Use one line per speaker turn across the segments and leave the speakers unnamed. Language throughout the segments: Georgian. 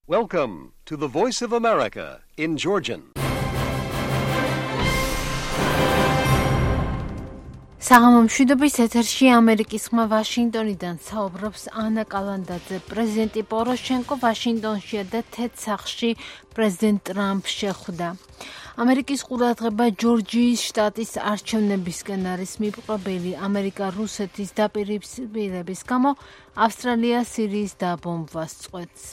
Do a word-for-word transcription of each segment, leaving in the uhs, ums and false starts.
Welcome to the Voice of America in Georgian.
საღამომშვიდობის ეთერში ამერიკის ხმა ვაშინგტონიდან საუბრობს ანა კალანდაძე. პრეზიდენტი პოროშენკო ვაშინგტონშია და თეთრ სახლში პრეზიდენტ ტრამპს შეხვდა. ამერიკის ყურადღება ჯორჯიის შტატის არჩევნებისკენ არის მიპყრობილი. ამერიკა რუსეთის დაპირისპირების გამო ავსტრალია სირიის დაბომბვას წყვეტს.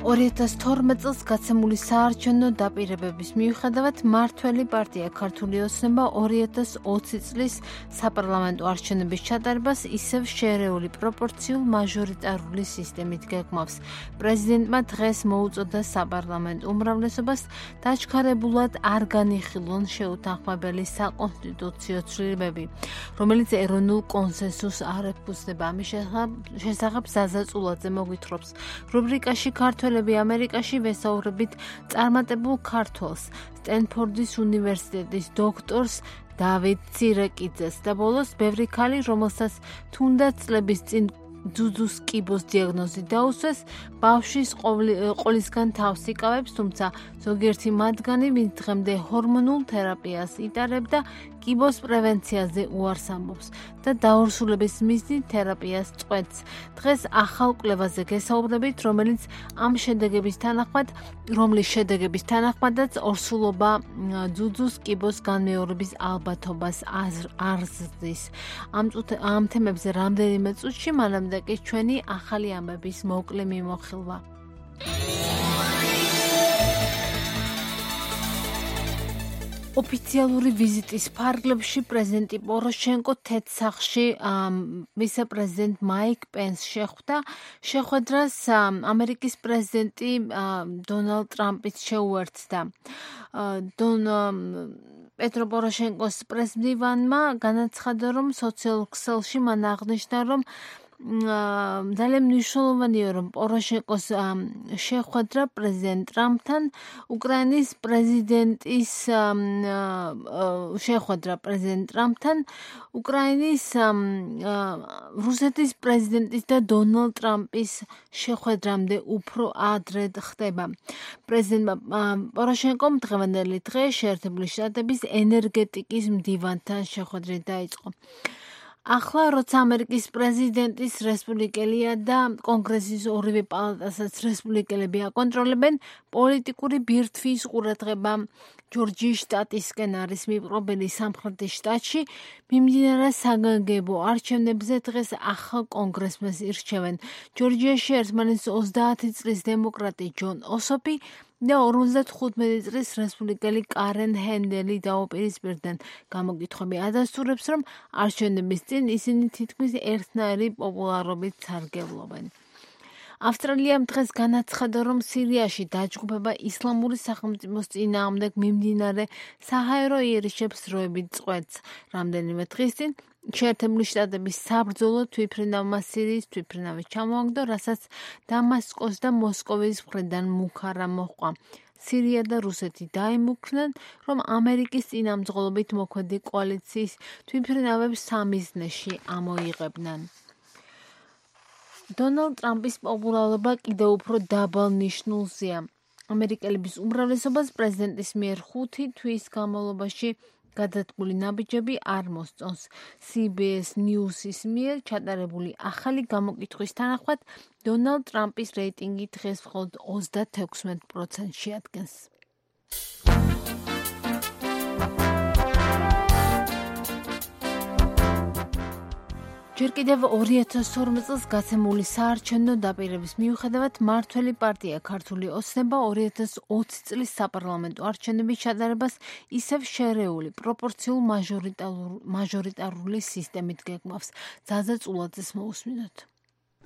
ორი ათას თორმეტ წელს გაცემული საარჩევნო დაპირებების მიუხედავად მმართველი პარტია ქართული ოცნება ორი ათას ოცი წლის საპარლამენტო არჩევნების ჩატარებას ისევ შერეული პროპორციულ მაჟორიტარული სისტემით გეგმავს. პრეზიდენტმა დღეს მოუწოდა საპარლამენტო უმრავლესობას დაჩქარებულად არ განიხილონ შეუთანხმებელი საკონსტიტუციო ცვლილებები, რომელიც ეროვნულ კონსენსუსს არ ეფუძნება. ამის შესახებ ზაზა წულაძე მოგვითხრობს. რუბრიკაში ქართველ ამერიკაში ვესაუბრებით წარმატებულ ქართველს, სტენფორდის უნივერსიტეტის დოქტორს დავით ცირეკიძეს და ბოლოს ბევრი ქალი, რომელსაც თუნდაც წლების წინ ძუძუს კიბოს დიაგნოზი დაუსვეს, ბავშვის ყოლისგან თავს იკავებს, თუმცა ზოგიერთი მათგანი, ვინც დღემდე ჰორმონულ თერაპიას იტარებდა, კიბოს პრევენციაზე უარს ამბობს და დაორსულების მიზნით თერაპიას წყვეტს. დღეს ახალ კვლევაზე გესაუბრებით, რომელიც ამ შედეგების თანახმად, რომლის შედეგების თანახმადაც ორსულობა ძუძუს კიბოს განმეორების ალბათობას არ ზრდის. ამ, ამ თემებზე რამდენიმე წუთში, მანამდე კი ჩვენი ახალი ამბების მოკლე მიმოხილვა. ოფიციალური ვიზიტის ფარგლებში პრეზიდენტი პოროშენკო თეთრ სახლში ვიცე-პრეზიდენტ მაიკ პენს შეხვდა. შეხვედრას ამერიკის პრეზიდენტი დონალდ ტრამპიც შეუერთდა. პეტრო პოროშენკოს პრესმდივანმა განაცხადა, რომ სოციალურ ქსელში მან აღნიშნა, რომ ძალიან მნიშვნელოვანია, რომ პოროშენკოს შეხვედრა პრეზიდენტ ტრამპთან უკრაინის პრეზიდენტის შეხვედრა პრეზიდენტ ტრამპთან უკრაინის რუსეთის პრეზიდენტის და დონალდ ტრამპის შეხვედრამდე უფრო ადრე ხდება. პრეზიდენტმა პოროშენკომ დღევანდელი დღე შეერთებული შტატების ენერგეტიკის მდივანთან შეხვედრით დაიწყო. ახლა, როცა ამერიკის პრეზიდენტის რესპუბლიკელია და კონგრესის ორივე პალატასაც რესპუბლიკელები აკონტროლებენ, პოლიტიკური ბირთვის ყურადღება ჯორჯიის შტატისკენ არის მიპყრობილი. სამხრეთის შტატში მიმდინარე საგანგებო არჩევნებზე დღეს ახალ კონგრესმენს ირჩევენ. ჯორჯიაში ერთმანეთს ოცდაათი წლის დემოკრატი ჯონ ოსოფი და ორმოცდახუთმეტი წლის რესპუბლიკელი კარენ ჰენდელი დაუპირისპირდნენ. გამოკითხვები ადასტურებს, რომ არჩევნების წინ ისინი თითქმის ერთნაირი პოპულარობით სარგებლობენ. ავსტრალიამ დღეს განაცხადა, რომ სირიაში დაჯგუფება ისლამური სახელმწიფოს წინააღმდეგ მიმდინარე საჰაერო იერიშებს დროებით წყვეტს. რამდენიმე დღის წინ შეერთებული შტატების საბრძოლო თვითმფრინავმა სირიის თვითმფრინავი ჩამოაგდო, რასაც დამასკოს და მოსკოვის მხრიდან მუქარა მოჰყვა. სირია და რუსეთი დაიმუქრნენ, რომ ამერიკის წინამძღოლობით მოქმედი კოალიციის თვითმფრინავებს სამიზნეში ამოიღებდნენ. დონალდ ტრამპის პოპულარობა კიდევ უფრო დაბალ ნიშნულზეა. ამერიკელების უმრავლესობას პრეზიდენტის მიერ ხუთი თვის განმავლობაში გადადგმული ნაბიჯები არ მოსწონს. სი ბი ეს News-ის მიერ ჩატარებული ახალი გამოკითხვის თანახმად, დონალდ ტრამპის რეიტინგი დღეს მხოლოდ ოცდათექვსმეტ პროცენტს შეადგენს. ჯერ კიდევ ორი ათას თორმეტ წელს გაცემული საარჩევნო დაპირების მიუხედავად მმართველი პარტია ქართული ოცნება ორი ათას ოცი წლის საპარლამენტო არჩევნების ჩატარებას ისევ შერეული პროპორციულ მაჟორიტარული სისტემით გეგმავს. ზაზა წულაძეს მოусმინოთ.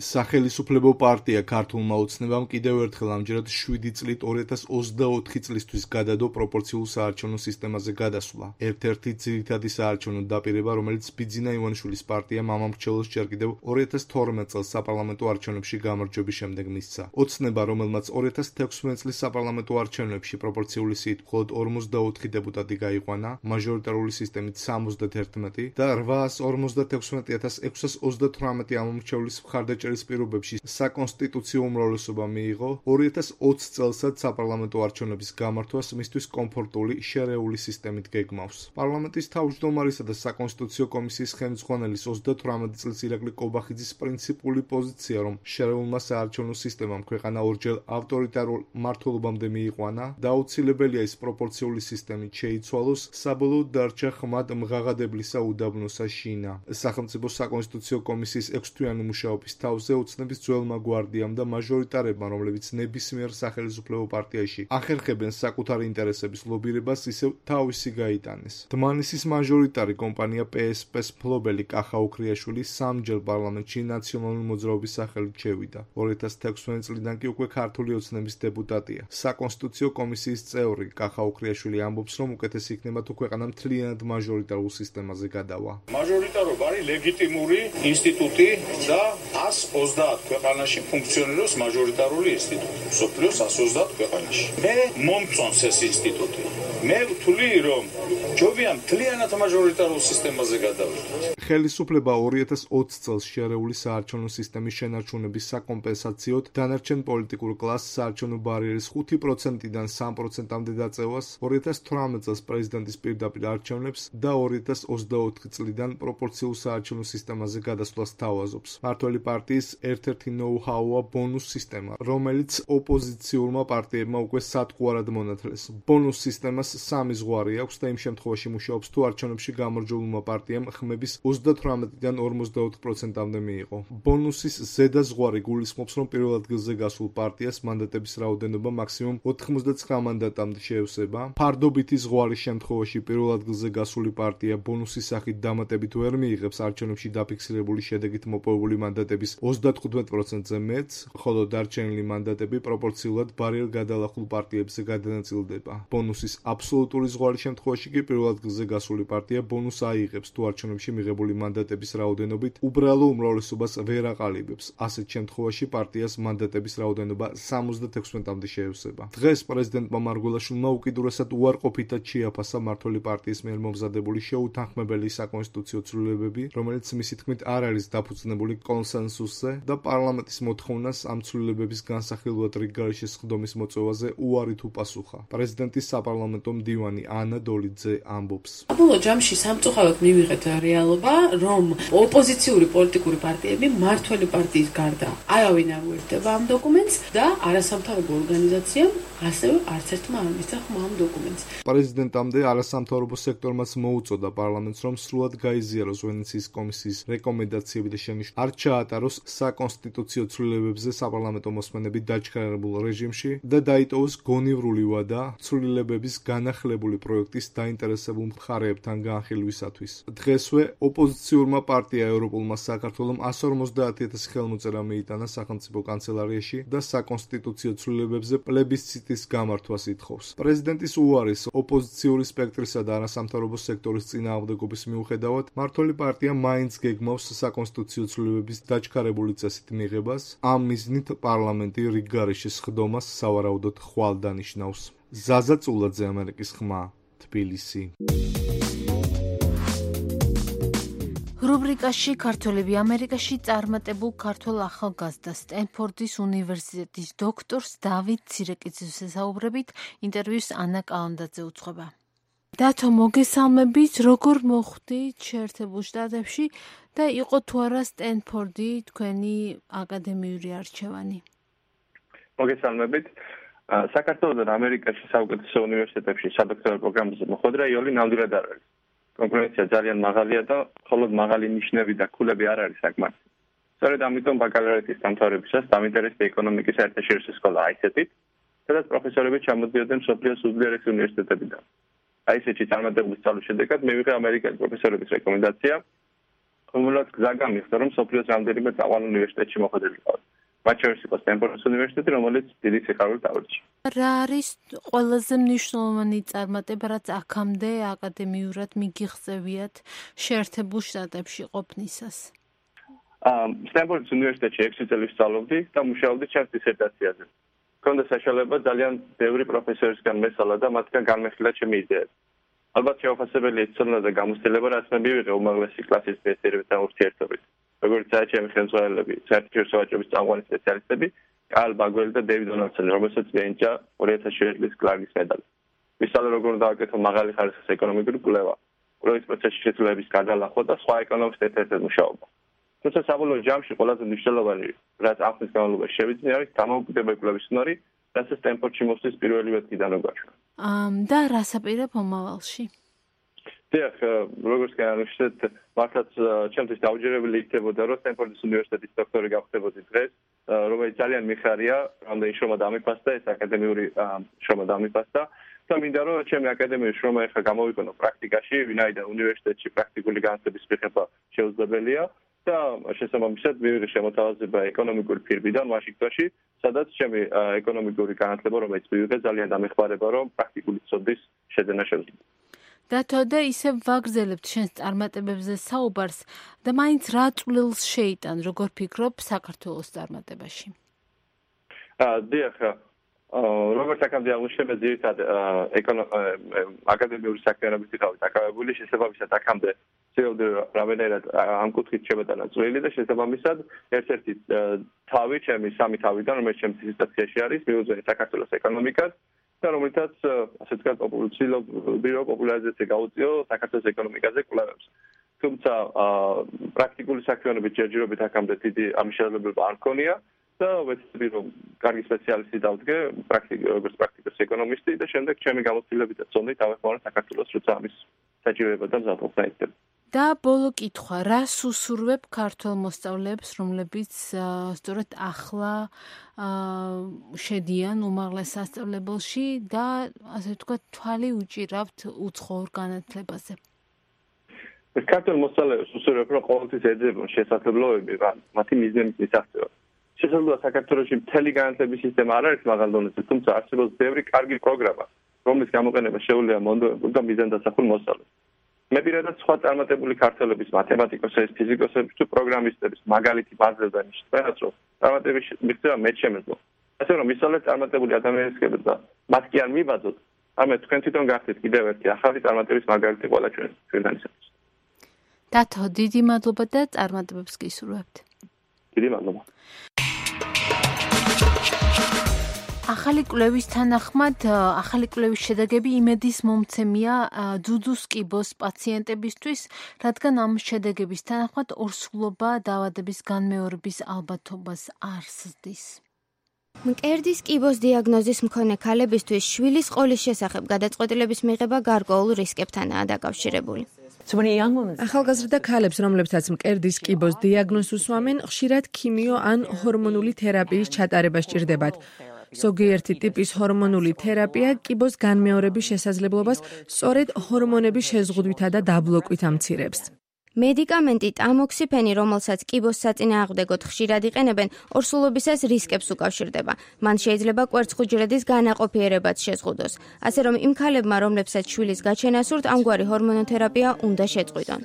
სახელისუფლებო პარტია ქართულმა ოცნებამ კიდევ ერთხელ ამჯერად შვიდი წლით ორი ათას ოცდაოთხი წლისთვის გადადო პროპორციულ საარჩევნო სისტემაზე გადასვლა. ერთ-ერთი ძირითადი საარჩევნო დაპირება, რომელიც ბიძინა ივანიშვილის პარტიამ ამომრჩევლოს ჯერ კიდევ ორი ათას თორმეტ წელს საპარლამენტო არჩევნებში გამარჯვების შემდეგ მისცა. ოცნება, რომელმაც ორი ათას თექვსმეტ წლის საპარლამენტო არჩევნებში პროპორციული სიით მხოლოდ ორმოცდაოთხი დეპუტატი გაიყვანა, მაჟორიტარული სისტემით სამოცდათერთმეტი და რვაას ორმოცდათექვსმეტი ათას ექვსას ოცდათვრამეტი ამომრჩევლის მხარდაჭერის პირობებში საკონსტიტუციო უმრავლესობა მიიღო. ორი ათას ოცი წელსაც საპარლამენტო არჩევნების გამართვას მისთვის კომფორტული შერეული სისტემით გეგმავს. პარლამენტის თავმჯდომარისა და საკონსტიტუციო კომისიის ხელმძღვანელის ოცდათვრამეტი წლის ირაკლი კობახიძის პრინციპული პოზიცია, რომ შერეულმა საარჩევნო სისტემამ ქვეყანა ორჯერ ავტორიტარულ მმართველობამდე მიიყვანა და აუცილებელია ის პროპორციული სისტემით შეიცვალოს, საბოლოოდ დარჩა ხმად მღაღადებლისა უდაბნოსა შინა. სახელმწიფო საკონსტიტუციო კომისიის ექვსთვიანი მუშაობის თავზე ოცნების ძველმა გვარდიამ და მაჟორიტარებმა, რომლებიც ნებისმიერ სახელისუფლებო პარტიაში ახერხებენ საკუთარი ინტერესების ლობირებას, ისევ თავისი გაიტანეს. დმანისის მაჟორიტარი კომპანია პე ეს პე-ს მფლობელი კახა უქრიაშვილი სამჯერ პარლამენტში ნაციონალური მოძრაობის სახელით შევიდა. ორი ათას თექვსმეტ წლიდან კი უკვე ქართული ოცნების დეპუტატია. საკონსტიტუციო კომისიის წევრი კახა უქრიაშვილი ამბობს, რომ უკეთესი იქნება თუ ქვეყანა მთლიანად მაჟორიტარულ სისტემაზე გადავა.
მაჟორიტარობა არის ლეგიტიმური ინსტიტუტი და ას ოცდაათ ქვეყანაში ფუნქციონირებს მაჟორიტარული ინსტიტუტი. მსოფლიოს ას ოცდაათ ქვეყანაში. მე მომწონს ეს ინსტიტუტი. მე ვთვლი, რომ ჯობია მთლიანად მაჟორიტარულ სისტემაზე გადავიდეთ.
ხელისუფლება ორი ათას ოცი წელს შერეული საარჩევნო სისტემის შენარჩუნების საკომპენსაციოდ დანარჩენ პოლიტიკურ კლასს საარჩევნო ბარიერის ხუთი პროცენტიდან სამ პროცენტამდე დაწევას, ორი ათას თვრამეტ წელს პრეზიდენტის პირდაპირ არჩევნებს და ორი ათას ოცდაოთხი წლიდან პროპორციულ საარჩევნო სისტემაზე გადასვლას თავაზობს. მმართველი პარტიის ერთ-ერთი ნოუ-ჰაუა ბონუს სისტემა, რომელიც ოპოზიციურმა პარტიებმა უკვე სატყუარად მონათლეს. ბონუს სისტემას სამი ზღვარი აქვს და იმ შემთხვევაში მუშაობს, თუ არჩევნებში გამარჯვებულმა პარტიამ ხმების ოცდათვრამეტიდან ორმოცდაოთხ პროცენტამდე მიიღო. ბონუსის ზედა ზღვარი გულისხმობს, რომ პირველ ადგილზე გასულ პარტიას მანდატების რაოდენობა მაქსიმუმ ოთხმოცდაცხრა მანდატამდე შეევსება. ფარდობითი ზღვარის შემთხვევაში პირველ ადგილზე გასული პარტია ბონუსის სახით დამატებით ვერ მიიღებს არჩევნებში დაფიქსირებული შედეგით მოპოვებული მანდატების ოცდათხუთმეტ პროცენტზე მეტს, ხოლო დარჩენილი მანდატები პროპორციულად ბარიერ გადალახულ პარტიებზე გადანაწილდება. ბონუსის აბსოლუტური ზღვარის შემთხვევაში კი პირველ ადგილზე გასული პარტია ბონუსს აიღებს, თუ არჩევნებში მიღებული მანდატების რაოდენობით უბრალო უმრავლესობას ვერ აყალიბებს. ასეთ შემთხვევაში პარტიას მანდატების რაოდენობა სამოცდათექვსმეტამდე შეევსება. დღეს პრეზიდენტმა მარგველაშვილმა უკიდურესად უარყოფითად შეაფასა მმართველი პარტიის მიერ მომზადებული შეუთანხმებელი საკონსტიტუციო ცვლილებები, რომელიც მისი თქმით არ არის დაფუძნებული კონსენსუსზე და პარლამენტის მოთხოვნას ამ ცვლილებების განსახილვად რიგგარეშე სხდომის მოწვევაზე უარით უპასუხა. პრეზიდენტის საპარლამენტო მდივანი ანა დოლიძე ამბობს.
საბოლოო ჯამში სამწუხაროდ მივიღეთ რეალობა, რომ ოპოზიციური პოლიტიკური პარტიები მმართველი პარტიის გარდა არავინ არ უერთდება ამ დოკუმენტს და არასამთავრობო ორგანიზაციამ ასევე არც ერთმა არ მისცა ხმა ამ დოკუმენტს.
პრეზიდენტამდე არასამთავრობო სექტორმაც მოუწოდა პარლამენტს, რომ სრულად გაიზიაროს ვენეციის კომისიის რეკომენდაციები და შენიშვნები, არ ჩაატაროს საკონსტიტუციო ცვლილებებზე საპარლამენტო მოსმენები დაჩქარებულ რეჟიმში და დაიტოვოს გონივრული ვადა ცვლილებების განახლებული პროექტის დაინტერესებულ მხარეებთან განხილვისათვის. დღესვე ოპოზიციურმა პარტია ევროპულმა საქართველომ ასი ორმოცდაათი ათასი ხელმოწერა მიიტანა სახელმწიფო კანცელარიაში და საკონსტიტუციო ცვლილებებზე პლებისციტის გამართვას ითხოვს. პრეზიდენტის უარის ოპოზიციური სპექტრისა და არასამთავრობო სექტორის წინააღმდეგობის მიუხედავად, მმართველი პარტია მაინც გეგმავს საკონსტიტუციო ცვლილებების დაჩქარებული წესით მიღებას. ამ მიზნით პარლამენტი რიგგარეშე სხდომას სავარაუდოდ ხვალ დანიშნავს. ზაზა წულაძე, ამერიკის ხმა, თბილისი.
რუბრიკაში ქართველები ამერიკაში წარმატებულ ქართველ ახალგაზრდა სტენფორდის უნივერსიტეტის დოქტორს დავით ცირეკიძის ესაუბრებით ინტერვიუს ანა კალანდაძე უძღვება. დათო, მოგესალმებით, როგორ მოხვდით შეერთებულ შტატებში და იყო თუ არა სტენფორდი თქვენი აკადემიური არჩევანი?
მოგესალმებით. საქართველოსთან ამერიკაში საუკეთესო უნივერსიტეტებში სადოქტორო პროგრამაზე მოხვედრა იოლი ნამდვილად არ არის. კონკურენცია ძალიან მაღალია და მხოლოდ მაღალი ნიშნები და ქულები არ არის საკმარისი. სწორედ ამიტომ ბაკალავრეთის დამთავრებისას დამინტერესდა ეკონომიკის საერთაშორისო სკოლა აი ეს ეტ-ით, სადაც პროფესორები ჩამოდიოდნენ მსოფლიოს უდიდესი უნივერსიტეტებიდან. აი ეს ეტ-ში წარმატებული სწავლის შედეგად მივიღე ამერიკელი პროფესორების რეკომენდაცია, უმრავლოდ გზა გამიხსნა, რომ სოფლიოს რამდენიმე წამყვან უნივერსიტეტში მოხვედრილიყო. მათ შორის იყო სტენფორდის უნივერსიტეტი, რომელიც დიდი სიხარულით დავრჩა.
რა არის ყველაზე მნიშვნელოვანი წარმატება, რაც აქამდე აკადემიურად მიგიღწევიათ შეერთებულ შტატებში ყოფნისას?
სტენფორდის უნივერსიტეტში ექვსი წელი ვსწავლობდი და მუშაობდი ჩემს დისერტაციაზე. მქონდა საშუალება ძალიან ბევრი პროფესორისგან მესალა და მათგან განმეხილა ჩემი იდეები. ალბათ შეუხასებელი ეცოლა და გამოცდილება, რაც მე მივიღე უმაღლესი კლასის მეცნიერებთან ურთიერთობით. როგორც საერთო ხელმძღვანელები, საერთაშორისო ვაჭრობის წამყვანი სპეციალისტები, კარლ ბაგველი და დეივიდ დონალდსონი, რომელსაც მიენიჭა ორი ათას შვიდი წლის კლარკის медаლი. ვისალა როგორ დააკეთო მაღალი ხარისხის ეკონომიკური კვლევა, კვლევის პროცესში შესრულების გადალახვა და სხვა ეკონომისტთა ერთად მუშაობა. თუმცა საბოლოო ჯამში ყველაზე მნიშვნელოვანი, რაც ამ ხნის განმავლობაში შევიძინე, არის დამოუკიდებელ კვლევის უნარი, რაც სტენფორდში მოსვლის პირველივე დღიდან გვაჩვენა.
ამ და რას აპირებ მომავალში?
დიახ, როგორც განაცხადეთ, მართლაც ჩემთვის დაუჯერებელი იქნებოდა, რომ სტენფორდის უნივერსიტეტის დოქტორი გავხდებოდი დღეს, რომელიც ძალიან მიხარია, რამდენი შრომა დამიფასდა, ეს აკადემიური შრომა დამიფასდა და მინდა რომ ჩემი აკადემიური შრომა ახლა გამოვიყენო პრაქტიკაში, ვინაიდან უნივერსიტეტში პრაქტიკული განათლების მიღება შეუძლებელია და შესაბამისად მივიღე შემოთავაზება ეკონომიკური ფირმიდან ვაშინგტონში, სადაც ჩემი ეკონომიკური განათლება, რომელიც მივიღე, ძალიან დამეხმარება, რომ პრაქტიკული ცოდნის შეძენა შევძლებ.
დათო და ისევ ვაგრძელებთ შენს წარმატებებზე საუბარს და მაინც რა წვლილს შეიტან, როგორ ფიქრობ საქართველოს წარმატებაში?
დიახ, როგორც აქამდე აღმოჩნდა, ძირითადად აკადემიური საქმიანობით ვიყავი დაკავებული, შესაბამისად აქამდე ცდილობდი რამდენად ამ კუთხით შემეტანა წვლილი და შესაბამისად ერთ-ერთი თავი, ჩემი სამი თავიდან, რომელიც ჩემს დისერტაციაში არის, მიუძღვენი საქართველოს ეკონომიკას და რომელთაც ასე ვთქვათ პოპულაციური პოპულარიზაცია გაუწიო საქართველოს ეკონომიკაზე კვლევებს. თუმცა პრაქტიკული საქმიანობით ჯერჯერობით აქამდე დიდი ამის შესაძლებლობა არ მქონია და ვეცდები რომ კარგი სპეციალისტი დავდგე, როგორც პრაქტიკოს ეკონომისტი და შემდეგ ჩემი გამოცდილებით და წონით დავეხმარა საქართველოს, როცა ამის საჭიროება და მზადყოფნა იქნება.
და ბოლო კითხვა, რას უსურვებ ქართველ მოსწავლეებს, რომლებიც სწორედ ახლა შედიან უმაღლეს სასწავლებელში და ასე ვთქვათ, თვალი უჭირავთ უცხოურ განათლებაზე?
ქართველ მოსწავლეებს უსურვებ, რომ ყოველთვის ეძებონ შესაძლებლობები, მათი მიზნების მისაღწევად. შესაძლოა საქართველოში მთელი განათლების სისტემა არ არის მაღალ დონეზე, თუმცა არსებობს ბევრი კარგი პროგრამა, რომლის გამოყენება შეუძლია მონდომებულ და მიზანდასახულ მოსწავლეს. მე პირადად სხვა წარმატებული ქართველების მათემატიკოსების, ფიზიკოსების თუ პროგრამისტების მაგალითი მაძლევდა ნიშნავს, რომ წარმატების მიღწევა მეც შემეძლო. ასე რომ ისწავლეთ წარმატებული ადამიანებისგან და მათ კი არ მიბაძოთ, ამე თქვენ თვითონ გახდეთ კიდევ ერთი ახალი წარმატების მაგალითი ყველა ჩვენ ჩვენთანისათვის.
დათო, დიდი მადლობა და წარმატებებს გისურვებთ.
დიდი მადლობა.
ახალი კვლევის თანახმად, ახალი კვლევის შედეგები იმედის მომცემია ძუძუს კიბოს პაციენტებისთვის, რადგან ამ შედეგების თანახმად ორსულობა დაავადების განმეორების ალბათობას არ ზრდის.
მკერდის კიბოს დიაგნოზის მქონე ქალებისთვის შვილის ყოლის შესახებ გადაწყვეტილების მიღება გარკვეულ რისკებთანაა დაკავშირებული.
ახალგაზრდა ქალებს, რომლებსაც მკერდის კიბოს დიაგნოზს უსვამენ, ხშირად ქიმიო ან ჰორმონული თერაპიის ჩატარება სჭირდებათ. ზოგიერთი ტიპის ჰორმონული თერაპია კიბოს განმეორების შესაძლებლობას სწორედ ჰორმონების შეზღუდვითა და დაბლოკვით ამცირებს.
მედიკამენტი ტამოქსიფენი, რომელსაც კიბოს საწინააღმდეგოდ ხშირად იყენებენ, ორსულობისას რისკებს უკავშირდება. მან შეიძლება კვერცხუჯრედის განაყოფიერებაც შეზღუდოს. ასე რომ იმ ქალებმა, რომლებსაც შვილის გაჩენა სურთ, ამგვარი ჰორმონოთერაპია უნდა შეწყვიტონ.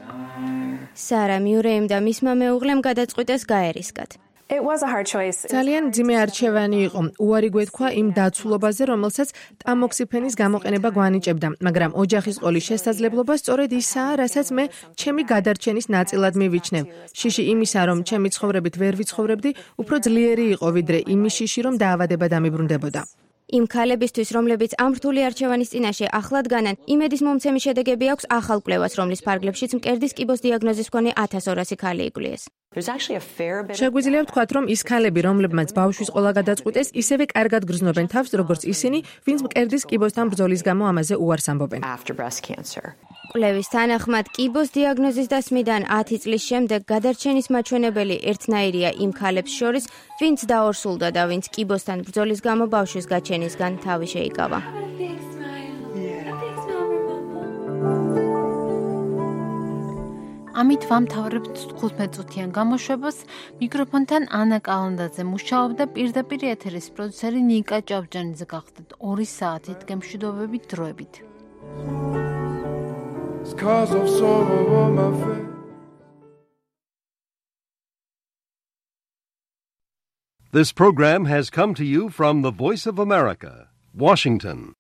სარა მიურეიმ და მისმა მეუღლემ გადაწყვიტეს გაერისკათ.
ძალიან მძიმე არჩევანი იყო. უარი გვეთქვა იმ დაცულობაზე, რომელსაც ტამოქსიფენის გამოყენება გვანიჭებდა, მაგრამ ოჯახის ყოლის შესაძლებლობა სწორედ ისაა, რასაც მე ჩემი გადარჩენის ნაწილად მივიჩნევ. შიში იმისა, რომ ჩემი ცხოვრებით ვერ ვიცხოვრებდი, უფრო ძლიერი იყო, ვიდრე იმის შიში, რომ დაავადება დამიბრუნდებოდა.
იმ ქალებისთვის, რომლებიც ამ რთული არჩევანის წინაშე ახლად განან, იმედის მომცემი შედეგები აქვს ახალ კვლევას, რომლის ფარგლებშიც მკერდის კიბოს დიაგნოზის მქონე ათას ორასი ქალი იგვლიეს.
შეგვიძლია ვთქვათ, რომ ის ქალები, რომლებმაც ბავშვის ყოლა გადაწყვიტეს, ისევე კარგად გრძნობენ თავს, როგორც ისინი, ვინც მკერდის კიბოსთან ბრძოლის გამო ამაზე უარს ამბობენ.
კვლევის თანახმად, კიბოს დიაგნოზის დასმიდან ათი წლის შემდეგ გადარჩენის მაჩვენებელი ერთნაირია იმ ქალებს შორის, ვინც დაორსულდა და ვინც კიბოსთან ბრძოლის გამო ბავშვის გაჩენისგან თავი შეიკავა.
ამით ვამთავრებთ თხუთმეტ წუთიან გამოშვებას. მიკროფონთან ანა კალანდაძე მუშაობდა, პირდაპირ ეთერის პროდიუსერი ნიკა ჭავჭანიძე გახდათ ორი საათით გემშვიდობებით დროებით.
This program has come to you from the Voice of America, Washington.